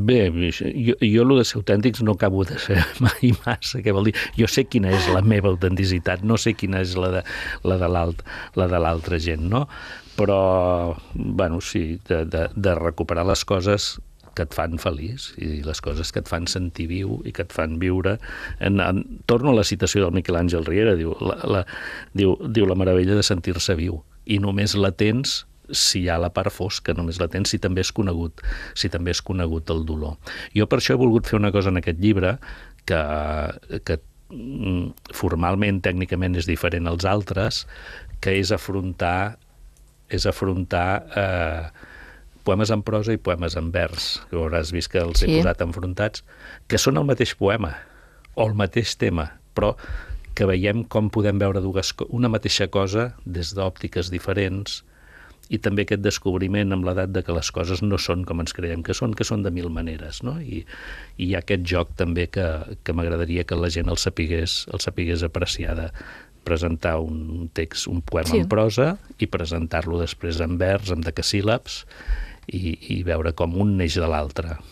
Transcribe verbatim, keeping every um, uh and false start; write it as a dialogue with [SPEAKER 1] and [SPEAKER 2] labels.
[SPEAKER 1] Bé, jo, jo el de ser autèntics no acabo de ser mai massa, què vol dir? Jo sé quina és la meva autenticitat, no sé quina és la de, la de l'alt, la de l'altra gent, no? Però, bueno, sí, de, de, de recuperar les coses que et fan feliç i les coses que et fan sentir viu i que et fan viure. En, en, torno a la citació del Miquel Àngel Riera, diu la, la, diu, diu la meravella de sentir-se viu, i només la tens si hi ha la part fosca, només la tens si també és conegut, si també és conegut el dolor. Jo per això he volgut fer una cosa en aquest llibre que, que formalment, tècnicament és diferent als altres, que és afrontar és afrontar eh, poemes en prosa i poemes en vers, que hauràs vist que els he
[SPEAKER 2] Sí.
[SPEAKER 1] posat enfrontats, que són el mateix poema o el mateix tema, però que veiem com podem veure dues, una mateixa cosa des d'òptiques diferents, i també aquest descobriment amb l'edat de que les coses no són com ens creiem que són, que són de mil maneres, no? I, i hi ha aquest joc també que, que m'agradaria que la gent el sapigués, el sapigués apreciar, de presentar un text, un poema
[SPEAKER 2] Sí.
[SPEAKER 1] en prosa i presentar-lo després en vers, amb decasíl·labs, i, i veure com un neix de l'altre.